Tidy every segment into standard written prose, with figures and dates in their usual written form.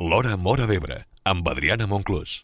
L'Hora Móra d'Ebre, amb Adriana Monclús.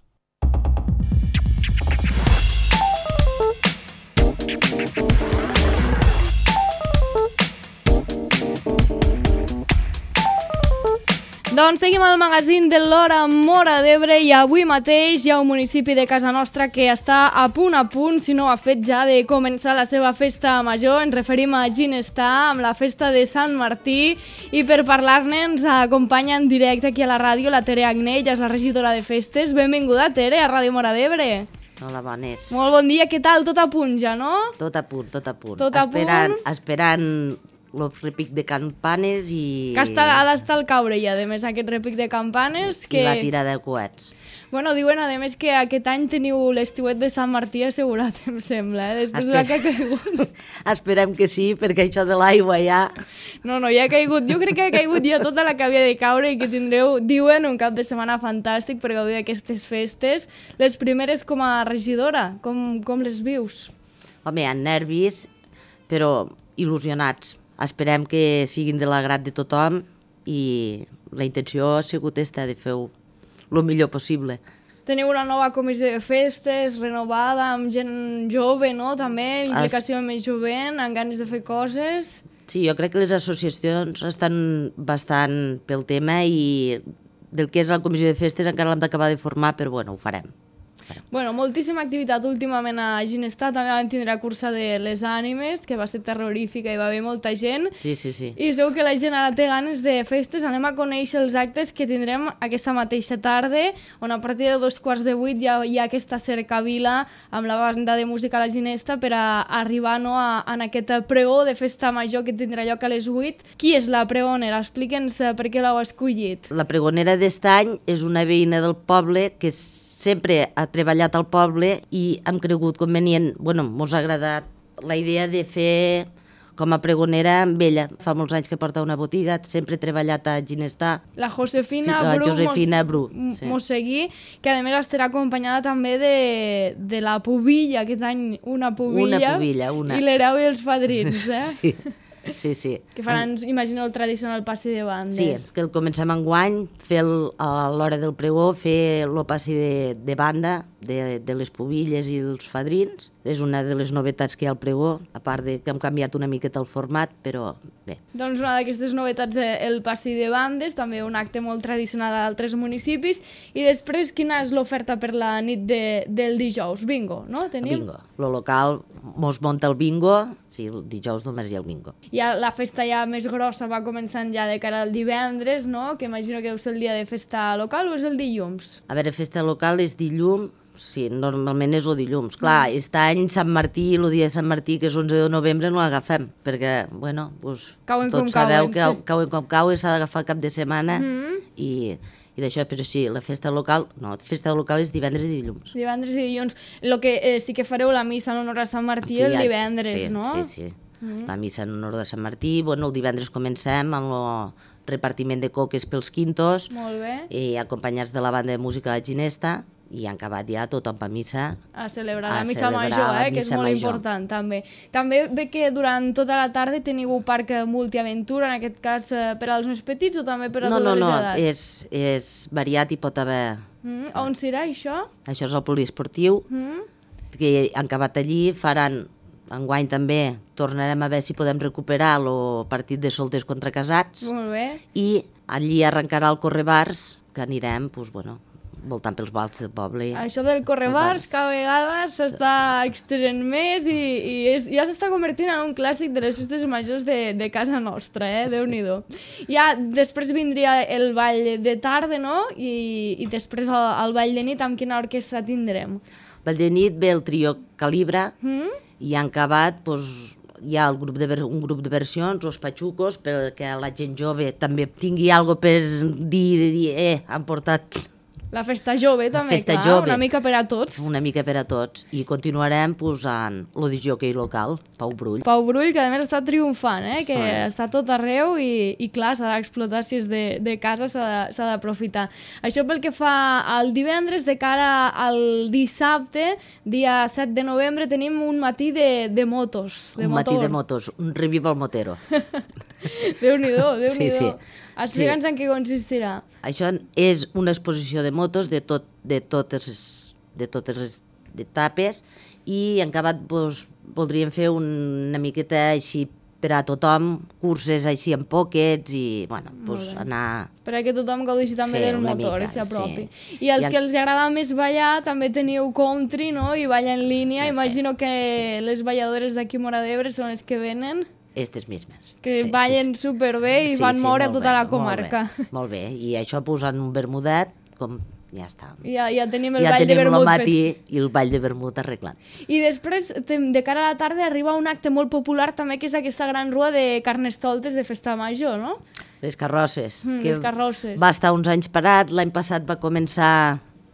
Doncs seguim al magazín de l'Hora Móra d'Ebre i avui mateix hi ha un municipi de casa nostra que està a punt, si no ho ha fet ja, de començar la seva festa major. Ens referim a Ginestar, amb la festa de Sant Martí, i per parlar-ne ens acompanya en directe aquí a la ràdio la Tere Agné, ella és la regidora de festes. Benvinguda, Tere, a Ràdio Móra d'Ebre. Hola, bones. Molt bon dia, què tal? Tot a punt ja, no? Tot a punt, tot a punt. Tot a punt. Esperant el repic de campanes i... Que ha d'estar al caure ja, a més, aquest repic de campanes. I la tirada de coets. Bueno, diuen, a més, que aquest any teniu l'estiuet de Sant Martí assegurat, em sembla, després de la que ha caigut. Esperem que sí, perquè això de l'aigua ja... No, ja ha caigut. Jo crec que ha caigut ja tota la que havia de caure i que tindreu, diuen, un cap de setmana fantàstic per gaudir d'aquestes festes. Les primeres com a regidora, com les vius? Home, amb nervis, però il·lusionats. Esperem que siguin de l'agrat de tothom i la intenció ha sigut esta, de fer-ho el millor possible. Teniu una nova comissió de festes, renovada, amb gent jove, no? També, implicació més jovent, amb ganes de fer coses. Sí, jo crec que les associacions estan bastant pel tema i del que és la comissió de festes encara l'hem d'acabar de formar, però bueno, ho farem. Bueno, moltíssima activitat últimament a Ginestar, també vam tindre la cursa de les ànimes, que va ser terrorífica i va haver molta gent. Sí. I segur que la gent ara té ganes de festes. Anem a conèixer els actes que tindrem aquesta mateixa tarda, on a partir de 7:45 ja hi ha aquesta cercavila amb la banda de música a la Ginesta per a arribar en aquest pregó de festa major que tindrà lloc a les 8. Qui és la pregonera? Explica'ns per què l'heu escollit. La pregonera d'est any és una veïna del poble que sempre ha treballat al poble i hem cregut convenient, mos ha agradat la idea de fer com a pregonera amb ella. Fa molts anys que porta una botiga, sempre ha treballat a Ginestar. La Josefina Bru Mosseguí, que a més estarà acompanyada també de la pubilla, aquest any una pubilla. I l'hereu i els padrins, eh? Sí. Que faran, imagino, el tradicional passi de bandes. Sí, que el comencem enguany, a l'hora del pregó, fer el passi de banda de les pubilles i els fadrins. És una de les novetats que hi ha al pregó, a part de que hem canviat una miqueta el format, però bé. Doncs una d'aquestes novetats és el passi de bandes, també un acte molt tradicional d'altres municipis. I després, quina és l'oferta per la nit del dijous? Bingo, no? Tenim? Bingo. Lo local mos munta el bingo, sí, el dijous només hi ha el bingo. Ja la festa ja més grossa va començant ja de cara al divendres, no? Que imagino que deu ser el dia de festa local o és el dilluns? A veure, festa local és dilluns, sí, normalment és el dilluns. Clar, aquest any Sant Martí, el dia de Sant Martí, que és 11 de novembre, no l'agafem, perquè, tots sabeu que cauen com cau i s'ha d'agafar cap de setmana i d'això, però sí, la festa local és divendres i dilluns. Divendres i dilluns. El que sí que fareu la missa en honor a Sant Martí el divendres, no? Sí. La missa en honor de Sant Martí, el divendres comencem amb el repartiment de coques pels quintos. Molt bé. I acompanyats de la banda de música de la Ginesta, i han acabat ja tothom a missa. A celebrar la missa major, que és molt important també. També ve que durant tota la tarda teniu un parc multiaventura, en aquest cas per als més petits o també per a totes les edats? No, és variat i pot haver... On serà això? Això és el poliesportiu, que han acabat allí, faran... Enguany també tornarem a veure si podem recuperar el partit de solters contra casats. Molt bé. I allí arrencarà el correbars, que anirem, voltant pels bals del poble. Això del correbars cada vegada s'està extenent més i ja s'està convertint en un clàssic de les festes majors de casa nostra, Déu-n'hi-do. Ja després vindria el ball de tarda, no? I després el ball de nit, amb quina orquestra tindrem? El ball de nit ve el trio Calibra, i han acabat, hi ha un grup de versions, els patxucos, perquè la gent jove també tingui alguna cosa per dir, han portat... La festa jove també, una mica per a tots. Una mica per a tots. I continuarem posant el discjòquei local, Pau Brull. Pau Brull, que a més està triomfant, que està tot arreu i clar, s'ha d'explotar, si és de casa s'ha d'aprofitar. Això pel que fa al divendres, de cara al dissabte, dia 7 de novembre, tenim un matí de motos. Matí de motos, un revival motero. Déu-n'hi-do, Sí, sí. Explica'ns en què consistirà. Això és una exposició de motos de totes les etapes i en acabat voldríem fer una miqueta així per a tothom, curses així en pockets i, bueno, anar... Perquè tothom gaudeixi també del motor i s'apropi. Sí. I els que els agrada més ballar també teniu country, no? I balla en línia. Imagino que les balladores d'aquí Móra d'Ebre són les que venen. Estes mismes. Que ballen superbé i fan moure tota la comarca. Molt bé, i això posant un vermudet, com... Ja està. Ja tenim el ball de vermut fet. Ja tenim el matí i el ball de vermut arreglat. I després, de cara a la tarda, arriba un acte molt popular també, que és aquesta gran rua de carnestoltes de festa major, no? Les carrosses. Les carrosses. Va estar uns anys parat, l'any passat va començar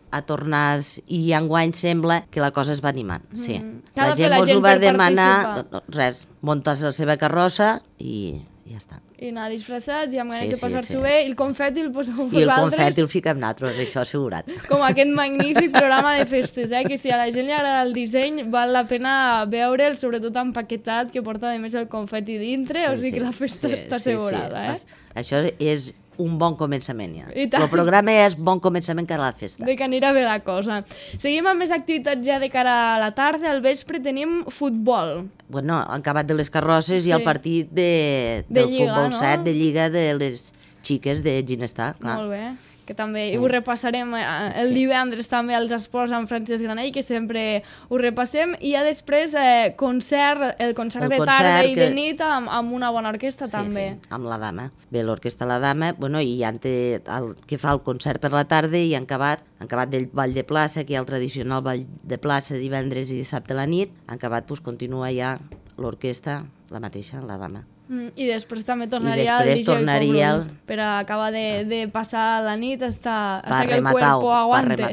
a tornar i enguany sembla que la cosa es va animant. Sí. La gent us ho va demanar, res, muntes la seva carrossa i ja està. I anar disfressats i amb ganes de passar-s'ho bé. I el confeti el poseu vosaltres. I el confeti el fiquem nosaltres, això assegurat. Com aquest magnífic programa de festes, que si a la gent li agrada el disseny val la pena veure'l, sobretot empaquetat, que porta a més el confeti dintre, o sigui que la festa està assegurada. Això és un bon començament ja. El programa és bon començament cara a la festa. De que anirà bé la cosa. Seguim amb més activitats ja de cara a la tarda. Al vespre tenim futbol. Bueno, han acabat de les carrosses i el partit del futbol 7 de Lliga de les xiques de Ginestar. Molt bé. Que també ho repassarem el divendres també als esports amb Francesc Granell, que sempre ho repassem, i ja després el concert de tarda i de nit amb una bona orquestra també. Sí, amb la Dama. Bé, l'orquestra La Dama, i ja que fa el concert per la tarda i han acabat del ball de plaça, que hi ha el tradicional ball de plaça divendres i dissabte a la nit, han acabat, continua ja l'orquestra, la mateixa, La Dama. I després també tornaria el DJ Cobrum per acabar de passar la nit hasta que el cuerpo aguante.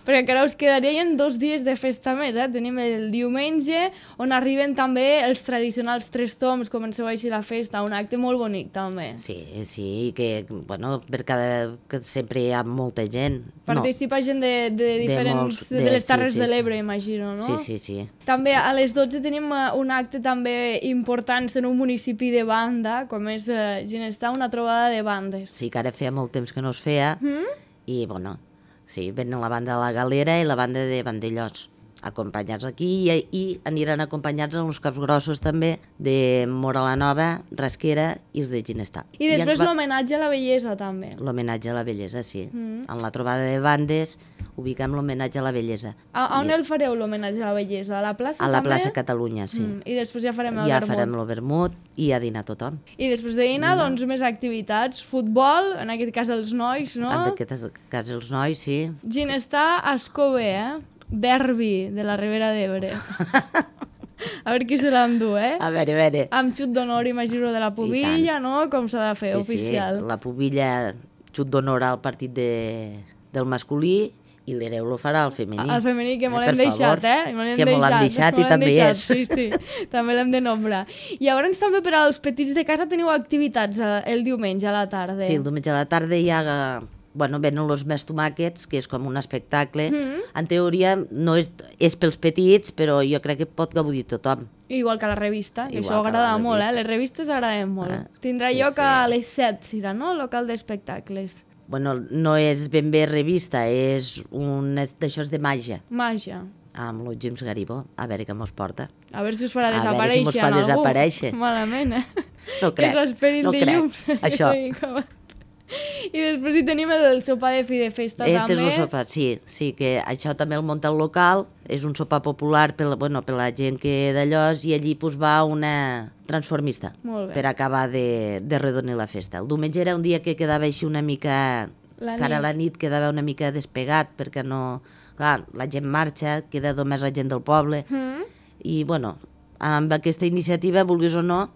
Perquè encara us quedarien 2 dies de festa més. Tenim el diumenge, on arriben també els tradicionals 3 toms, comenceu així la festa, un acte molt bonic també. Sí, que sempre hi ha molta gent. Participa gent de diferents, de les Terres de l'Ebre, imagino, no? Sí. També a les 12 tenim un acte també important en un municipi de banda, com és Ginestar, una trobada de bandes. Sí, que ara feia molt temps que no es feia, i venen la banda de la Galera i la banda de Vandellós, acompanyats aquí, i aniran acompanyats a uns caps grossos també de Móra la Nova, Rasquera i els de Ginestar. I després l'homenatge a la bellesa també. L'homenatge a la bellesa, sí. En la trobada de bandes ubiquem l'homenatge a la bellesa. A on el fareu l'homenatge a la bellesa? A la plaça també? A la plaça Catalunya, sí. I després ja farem el vermut. Ja farem el vermut i a dinar tothom. I després de dinar, doncs, més activitats. Futbol, en aquest cas els nois, no? En aquest cas els nois, sí. Ginestar, Escobé, derbi de la Ribera d'Ebre. A veure qui se l'endú, A veure. Amb xut d'honor, imagino, de la pubilla, no? Com s'ha de fer, oficial. Sí, la pubilla, xut d'honor al partit del masculí, i l'hereu lo farà al femení. Al femení, que me l'hem deixat, Que me l'hem deixat i també és. Sí, també l'hem de nombrar. I llavors també per als petits de casa teniu activitats el diumenge a la tarda. Sí, el diumenge a la tarda hi ha... venen los més tomàquets, que és com un espectacle. En teoria no és pels petits, però jo crec que pot gaudir tothom. Igual que la revista, que això agrada molt, les revistes agraden molt. Tindrà lloc a les 7, serà, no? Local d'espectacles. No és ben bé revista, és un d'això de màgia. Màgia. Amb el James Garibó, a veure què mos porta. A veure si us farà desaparèixer en algú. A veure si mos fa desaparèixer. Malament, No crec, que s'esperin no dilluns. Això. I després hi tenim el sopar de fi de festa també. Este és el sopar, sí, que això també el munta el local, és un sopar popular per la gent que d'allò, i allí va una transformista per acabar de redonir la festa. El diumenge era un dia que quedava així una mica... Cara a la nit quedava una mica despegat, perquè no... Clar, la gent marxa, queda només la gent del poble, i amb aquesta iniciativa, vulguis o no,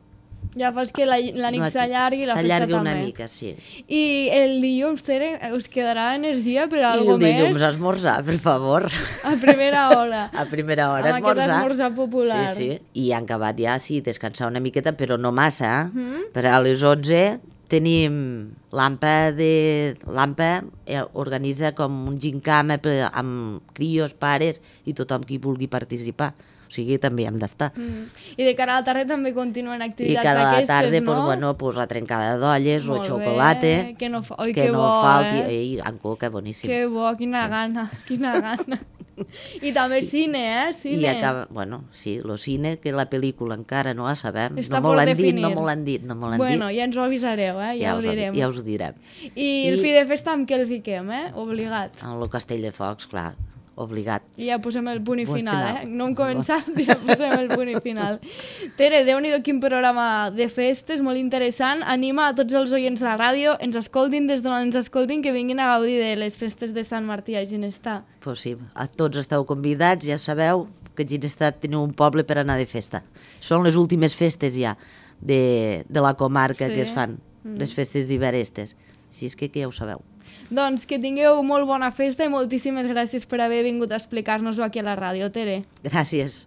ja fas que la nit s'allargui i la festa també. S'allargui una mica, sí. I el dilluns, Tere, us quedarà energia per a alguna més? I el dilluns esmorzar, per favor. A primera hora. A primera hora esmorzar. Amb aquest esmorzar popular. Sí. I han acabat ja, sí, descansar una miqueta, però no massa. Per a les 11 tenim L'AMPA organitza com un gincama amb crios, pares i tothom qui vulgui participar. O sigui, també hem d'estar. I de cara a la tarda també continuen activitats d'aquestes, no? I cara a la tarda, no? La trencada d'olles o xocolata. Que no falti. Amb coca, boníssim. Que bo, quina gana. I també cine, cine. I acaba, sí, el cine, que la pel·lícula encara no la sabem. Està no me l'han dit. Bueno, ja ens ho avisareu, ja ho direm. Ja us ho direm. I el fi de festa amb què el fiquem, obligat? En el Castell de Focs, clar. Obligat. I ja posem el punt i final, No hem començat, ja posem el punt i final. Tere, Déu-n'hi-do quin programa de festes, molt interessant. Anima a tots els oients de la ràdio, ens escoltin des d'on ens escoltin, que vinguin a gaudir de les festes de Sant Martí a Ginestar. Pues sí, a tots esteu convidats, ja sabeu que a Ginestar teniu un poble per anar de festa. Són les últimes festes ja de la comarca que es fan, les festes d'Iberestes. Així és que ja ho sabeu. Doncs que tingueu molt bona festa i moltíssimes gràcies per haver vingut a explicar-nos-ho aquí a la ràdio, Tere. Gràcies.